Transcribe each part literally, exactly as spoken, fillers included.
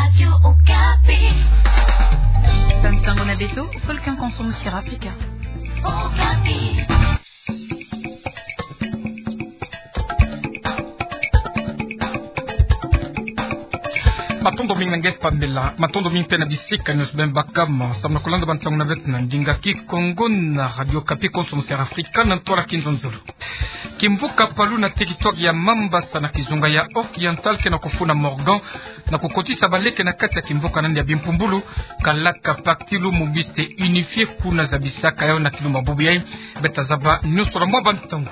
Radio Okapi. Bansango na beto, Volcan Consommation Africa. Okapi. Matondo mingi na nge pambela, matondo mingi mpe na bisika nyonso beno baka mo, samu na kulanda bansango na beto na ndinga Kikongo na Radio Okapi Consommation Africa na ntwala Kinzonzolo. Kimvuka Palu na teritware ya Mambasa na kizunga ya Oriental ke na kufuna Morgan na kukotisa baleke na kati ya kimvuka na yandi ya bimpumbulu, kalaka Parti Lumumbiste Unifié kuna zabisaka yawu na kilumbu bubu yayi. Beta zaba nyonso na mwa bansango.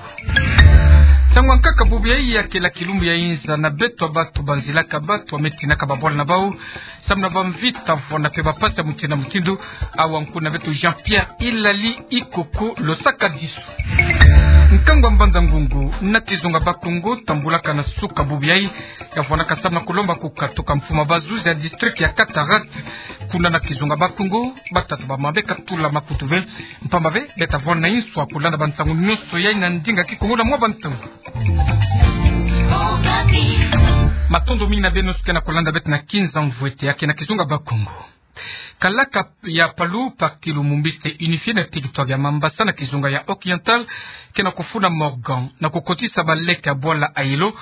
Nsangu ya nkaka bubu yayi ya kela kilumbu ya inza na beto, bantu banzilaka, bantu bametinaka babwala na bawu samu na bamvita, vwanda mpe bampasi ya mutindu na mutindu. Awa nkuna beto Jean-Pierre Ilali Ikoko losaka disu. Nkangu ya Mbanza-Ngungu na kizunga Bas-Congo tambulaka na suka bubu yayi, ya vwandaka samu na kulomba kukatuka mfumu ya bazuzi ya district ya Cataractes kuna na kizunga Bas-Congo. Batata bamama be katula makutu ve, mpamba ve beta vwanda na inswa kulanda bansango nyonso yayi na ndinga Kikongo na mwa bansango. Matondo mingi na beno nyonso ke na kulanda beto na Kinzonzolo ya ke na kizunga Bas-Congo. Kalaka ya Palu, Parti Lumumbiste Unifié na teritware ya Mambasa na kizunga ya Oriental ke na kufuna Morgan na kukotisa baleke ya bwala Ayelo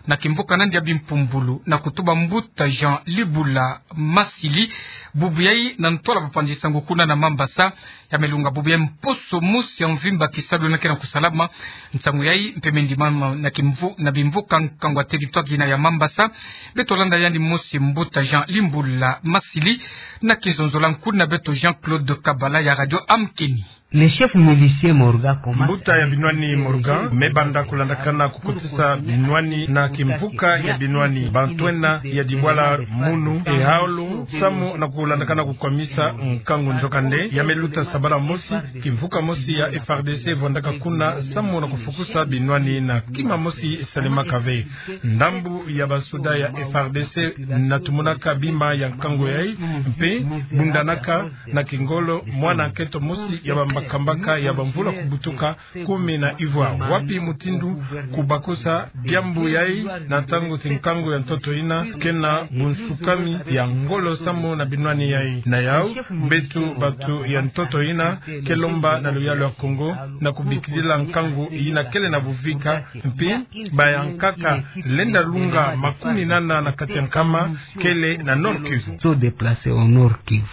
na kimvuka na yandi ya bimpumbulu na kutuba mbuta Jean Libula Masili bubu yayi na ntwala bapanzi nsangu kuna na Mambasa. Ya me lunga bubu yayi mposo mosi ya mvimba kisalu na ke na kusalama. Nsangu yayi mpe me ndimama na kimvu-, na bimvuka nkangu ya teritware yina ya Mambasa. Beto landa yandi mosi mbuta Jean Libula Masili na Kinzonzolo nkuna beto Jean-Claude Kabala ya Radio Amkeni. Le chef milicier Morgan commence. Mbuta ya binwani Morgan me banda kulandakana kukotisa binwani na kimvuka ya binwani. Bantu ena ya dibwala munu ehaolo samu na kulandakana kukwamisa nkangu nzokande. Ya me luta sabala mosi, kimvuka mosi ya F R D C vwandaka kuna samu na kufukusa binwani na kima mosi esalemaka ve. Ndambu ya basoda ya F R D C na tumunaka bima ya nkangu yayi mpe bundanaka na kingolo mwana nkento mosi ya bambakambaka ya bamvula kubutuka kumi na ivwa. Wapi mutindu kubakusa diambu yayi na ntangu ti nkangu ya ntoto yina ke na bunsukami ya ngolo samu na binwani yayi? Na yawu, beto bantu ya ntoto yina ke lomba na luyalu ya Kongo na kubikilila nkangu yina kele na buvika, mpe bayankaka lenda lunga makumi nana na kati ya nkama kele na Nord-Kivu. Sont déplacés au Nord-Kivu.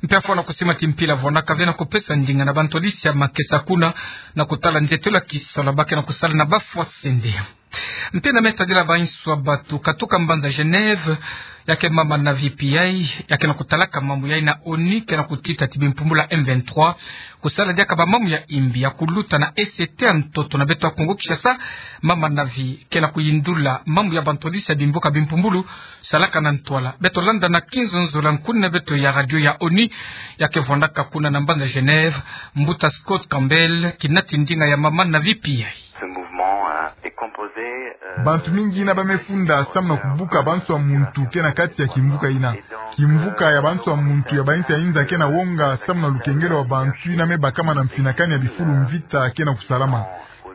Mpe afwana kusima ti mpila vonaka ve na kupesa ndinga na bantwadisi ya makesa kuna na kutala nzietelo ya kisalu ba ke na kusala na bafwa sende. Mpe na me tadila bainso ya bantu katuka mbanza Genève, ya ke mama Navi Pillay, ya ke na kutalaka mambu yayi na ONU, ke na kutita ti bimpumbulu ya M vingt-trois kusala diaka bamambu ya imbi ya kuluta na E C T ya ntoto na beto ya Kongo Kinshasa. Mama Navi ke na kuyindula mambu ya bantwadisi ya bimbuka bimpumbulu salaka na ntwala. Beto landa na Kinzonzolo nkuni na beto ya radio ya ONU, ya ke vwandaka kuna na mbanza Genève, mbuta Scott Campbell, kinati ndinga ya mama Navi Pillay. Ce mouvement, euh, est composé, euh, bantu mingi yina ba me funda samu na kubuka banswa muntu ke na kati ya kimvuka yina. Kimvuka ya banswa muntu ya bainsi ya inza ke na wonga samu na lukengelo wa bantu yina me bakama na mfinakani ya bifulu mvita ke na kusalama.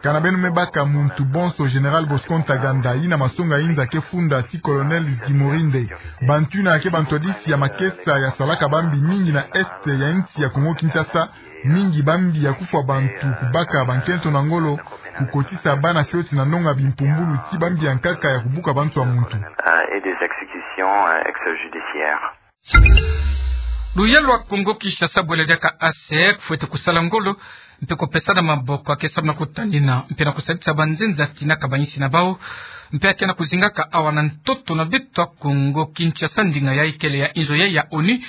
Kana beno me baka muntu bonso Général Bosco Ntaganda, yina masonga inza ke funda ti Colonel Zimorinde. Bantu yina ke bantwadisi ya makesa ya salaka bambi mingi na Est ya insi ya Kongo Kinshasa. Mingi bambi ya kufwa bantu, kubaka bankento na ngolo, kukotisa bana fioti na nonga bimpumbulu ti bambi ya nkaka ya kubuka banswa muntu. Euh, et des exécutions, euh, extrajudiciaires. Luyalu wa Kongo Kinshasa bwela diaka A C R fwete kusala ngolo, mpe kupesana maboko ya ke samu na kutanina mpe na kusadisa banzenza tinaka bainsi na bawu, mpe ya ke na kuzingaka awa na ntoto na beto ya Kongo Kinshasa. Ndinga yayi kele ya inzo yayi ya ONU,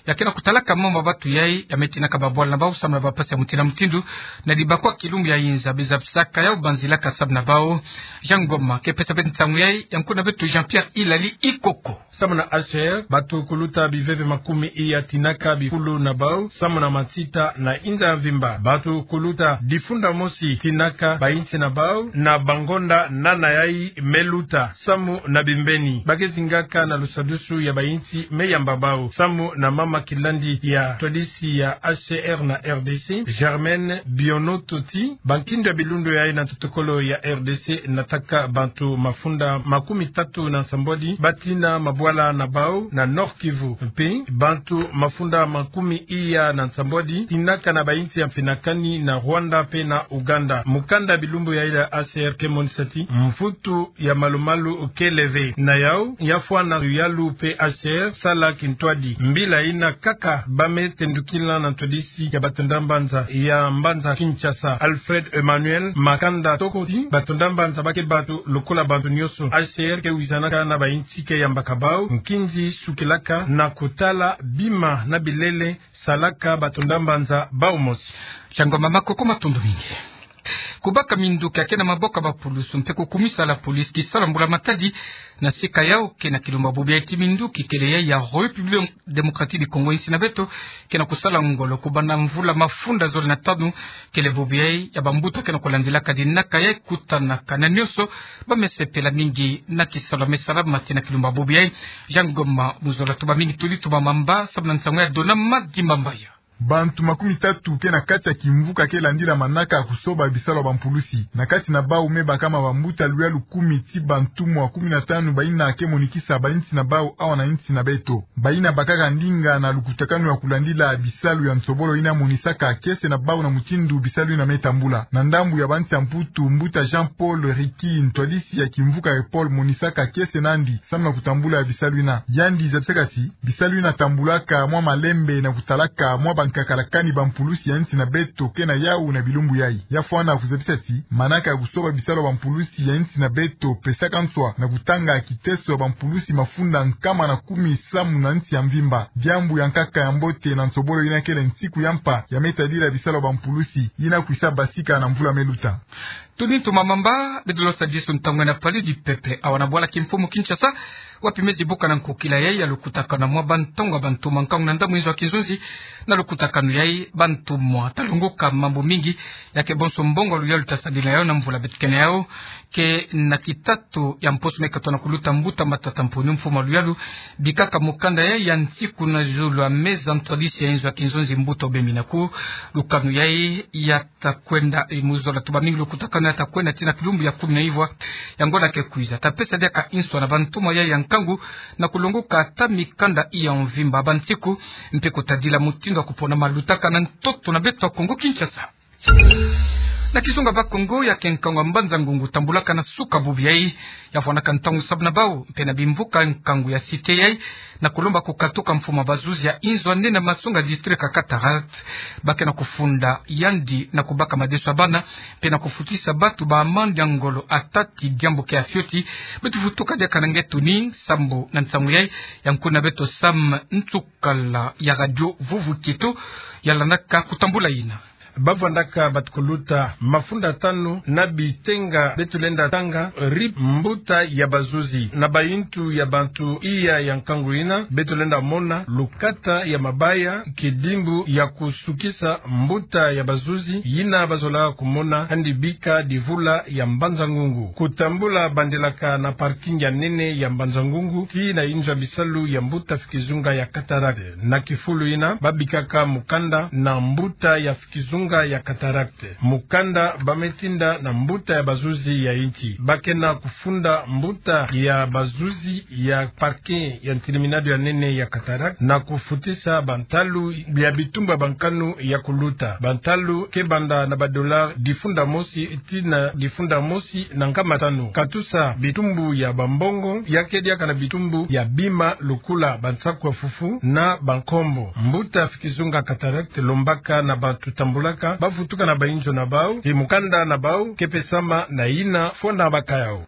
ya ke na kutalaka mambu ya bantu yayi ya me tinaka babwala na bawu samu na bampasi ya mutindu na mutindu, na dibakwa kilumbu ya inza be zabisaka yawu banzilaka samu na bawu. Jean Ngoma ke pesa beto nsangu yayi, ya nkuna beto Jean-Pierre Ilali Ikoko. Samu na A C R, bantu kuluta biveve makumi iya tinaka bifulu na bawu samu na matita na inza ya mvimba. Bantu kuluta difunda mosi tinaka bainsi na bawu na bangonda nana yayi me luta samu na bimbeni. Ba ke zingaka na lusadusu ya bainsi me yamba bawu samu na mama Kilandi ya ntwadisi ya H C R na R D C, Germaine Bionoto, ti bankindu ya bilundu yayi na ntotokolo ya R D C nataka bantu mafunda makumi tatu na nsambwadi batina mabwala na bawu na Nord-Kivu, mpe bantu mafunda makumi iya na nsambwadi tinaka na bayinsi ya mfinakani na Rwanda mpe na Ouganda. Mukanda ya bilumbu yayi ya H C R ke monisa ti mvutu ya malumalu kele ve. Na yawu, ya fwana luyalu mpe H C R sala kintwadi. Mbila yina kaka ba me tendukila na ntwadisi ya batonda mbanza ya mbanza Kinshasa, Alfred Emmanuel Makanda, toko ti batonda mbanza ba ke bantu lokola bantu nionso. H C R ke wizanaka na bayinsi ke yambaka bawu nkinzi sukilaka na kutala bima na bilele salaka batonda mbanza bawu mosi. Shangoma Makoko, matondo mingi. Kubaka minduki ya ke na maboko ya bapulusu mpe kukumisa la police kisalu ya mbula matadi na sika yawu ke na kilumbu ya bobo yayi ti minduki kele yayi ya République Démocratique du Congo, insi na beto, ke na kusala ngolo kubanda mvula mafunda zole na tanu. Kele bobo yayi ya bambuta ke na kulandilaka dinaka yayi, kutanaka na nionso ba me sepela mingi na kisalu ya me sala mate na kilumbu ya bobo yayi. Jean Ngoma Muzola, tuba mingi, tudi tuba mamba, samu na nsangu ya Dona Madi Mambaya. Bantu makumi tatu ke na kati ya kimvuka ke landila manaka ya kusoba bisalu ya bampulusi. Na kati na bawu me bakama bambuta luyalu kumi ti bantumwa kumi na tanu bayina ke monikisa bayinsi na bawu awa na insi na beto. Bayina bakaka ndinga na lukutakanu ya kulandila bisalu ya nsobolo yina monisaka kiese na bawu na mutindu bisalu yina me tambula. Na ndambu ya bansi ya Mputu, mbuta Jean-Paul Ricky, ntwadisi ya kimvuka EPOL, monisaka kiese nandi samu na kutambula ya bisalu yina. Yandi zabisaka ti bisalu yina tambulaka mwa malembe na kutalaka mwa bankakala kani bampulusi ya insi na beto ke na yawu na bilumbu yayi. Ya fwana kuzabisa ti manaka ya kusoba bisalu ya bampulusi ya insi na beto pesaka nswa na kutanga kiteso ya bampulusi mafunda nkama na kumi samu na insi ya mvimba. Diambu ya nkaka ya mbote na nsobolo yina kele nsiku ya mpa ya me tadila bisalu ya bampulusi yina kwisa basika na mvula me luta. Tudi ntuma mamba, beto lo sadisa ntangu na Palais du Peuple awa na bwala kimfumu Kinshasa, wapi me zibuka na nkokila yayi ya lukutakanu na mwa bantongo ya bantuma nkangu na ndambu inzo ya kinzonzi. Na lukutakanu yayi, bantuma ta longoka mambu mingi ya ke bonso mbongo ya luyalu ta sadila yawu na mvula beto kele yawu. Ke na kitatu ya mposo me katono kuluta, mbuta Matata Mponyo, mfumu ya luyalu, bikaka mukanda yayi ya nsiku na zulu ya meza ntwadisi ya inzo ya kinzonzi, mbuta Obembi Naku. Lukanu yayi ya ta kwenda, e, Muzola, tuba mingi, lukutakanu ya ta kwenda tii na kilumbu ya kumi na ivwa ya ngonda ke kwiza. Ta pesa diaka inswa na bantuma yayi ya nkangu na kulongoka ata mikanda iya mvimba ya bansiku, mpe kutadila mutindu ya kupona ma lutaka na ntoto na beto ya Kongo Kinshasa. Na kizunga Bakongo, ya ke nkangu ya Mbanza-Ngungu tambulaka na suka bubu yayi. Ya fwanaka ntangu sabu na bawu mpe na bimvuka nkangu ya Cité yayi na kulomba kukatuka mfumu ya bazuzi ya inzo ya nene ya masonga, district ya Cataractes, ba ke na kufunda yandi na kubaka madeso ya bana mpe na kufutisa batu ba amande ya ngolo ata ti diambu ke ya fioti. Beto vutuka diaka na nge tuni sambu na nsangu yayi ya nkuna beto Sam Ntsukala ya Radio Vuvu Kieto, ya landaka kutambula yina. Ba vwandaka batu kuluta mafunda tanu na bitenga beto lenda tanga R I P, mbuta ya bazuzi, na bayintu ya bantu iya ya nkangu yina. Beto lenda mona lukata ya mabaya, kidimbu ya kusukisa mbuta ya bazuzi yina ba zola kumona, andi bika divula ya Mbanza-Ngungu. Kutambula bandilaka na parking ya nene ya Mbanza-Ngungu tii na inzo ya bisalu ya mbuta Fikizunga ya Cataractes. Na kifulu yina ba bikaka mukanda na mbuta ya Fikizunga ya Cataractes. Mukanda ba me tinda na mbuta ya bazuzi ya insi. Ba ke na kufunda mbuta ya bazuzi ya parking ya ntiliminado ya nene ya Cataractes na kufutisa bantalu ya bitumbu ya bankanu ya kuluta. Bantalu ke banda na ba dollars difunda mosi tii na difunda mosi na nkama tanu. Katusa bitumbu ya bambongo, ya ke diaka na bitumbu ya bima lokola bansaku ya fufu na bankombo. Mbuta Fikizunga Cataractes lombaka na bantu tambulaka ba vutuka na bainzo na bawu ti mukanda na bawu ke pesama na yina fwana bakayao.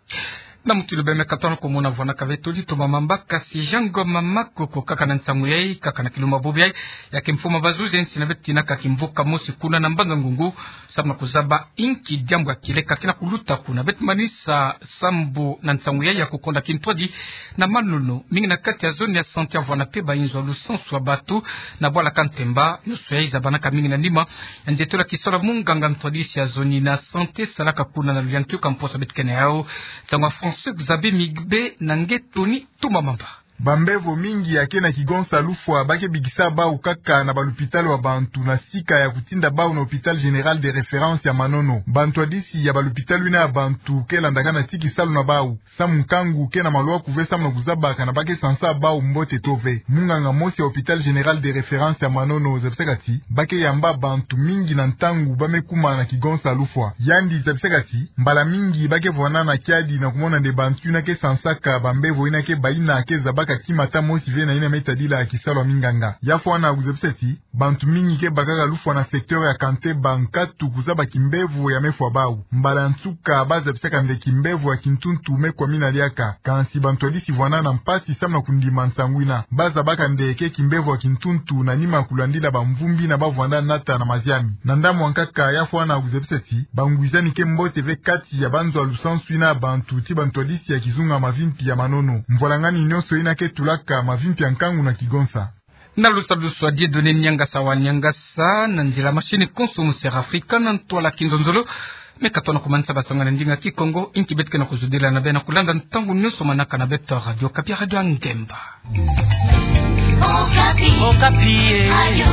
Na mutindu beme katono kumona vwanaka beto litoma mamba, kasi Jean Ngoma Makoko, kaka na nsangu yayi, kaka na kilumbu ya bobo yayi, ya ke mfumu ya bazuzi ya insi na beto tinaka kimvuka mosi kuna na Mbanza-Ngungu, samu na kuzaba inki diambu ya kieleka ke na kuluta kuna. Beto manisa sambu na nsangu yayi ya kukonda kintwadi na manono mingi na kati ya zone ya santé ya Mvwana mpe bainzo ya lusansu ya batu na bwala Kantemba, nyoso yayi zabanaka mingi na nima ya nzietolo ya kisalu ya munganga ntwadisi ya zone na santé salaka kuna na luyantiyo ka mposo beto kele na yawu. Nsangu ya François Xavier Migbe na nge Tony Tumba Mamba. Bambevo mingi ya ke na kigonsa lufwa ba ke bikisa bau kaka na balupitalu ya bantu na sika ya kutinda bau na Hôpital Général de Référence ya Manono. Bantwadisi ya balupitalu yina ya bantu ke landakana ti kisalu na bau. Samu nkangu ke na malwa kuve samu na kuzabaka na ba ke sansa bau mbote to ve. Munganga mosi ya Hôpital Général de Référence ya Manono zabisaka ti ba ke yamba bantu mingi na ntangu ba me kuma na kigonsa lufwa. Yandi zabisaka ti mbala mingi ba ke vwanana kiadi na kumona nde bantu yina ke sansaka bambevo yina ke baina ke zabaka kimata mosi ve na yina me tadila kisalu ya minganga. Ya fwana kuzabisa ti bantu mingi ke bakaka lufwa na secteur ya Kanteba nkatu kuzaba kimbevo ya me fwa bau. Mbala nsuka ba zabisaka nde kimbevo ya kintuntu me kwamina liaka. Kansi bantwadisi vwanana mpasi samu na kundima nsangu yina. Ba zabaka nde ke kimbevo ya kintuntu na nima kulandila bamvumbi yina ba vwanda nata na maziami. Na ndambu ya nkaka ya fwana kuzabisa ti bangwizani ke mbote ve kati ya banzo ya lusansu yina ya bantu ti bantwadisi ya kizunga mavimpi ya Manono. Mvwalangani nyonso yina ke tulaka mavimpi ya nkangu na kigonsa. Na lusadusu a Dieudonné Niangasa wa Niangasa, na nzila machine konso mu Sierra Africa, na ntwala kinzonzolo. Me ka tona kumanisa basanga na ndinga Kikongo, inki beto ke na kuzudila na beno na kulanda ntangu nyonso manaka na beto Radio Okapi, Radio ya Ngemba. Okapi. Okapi, eh. Radio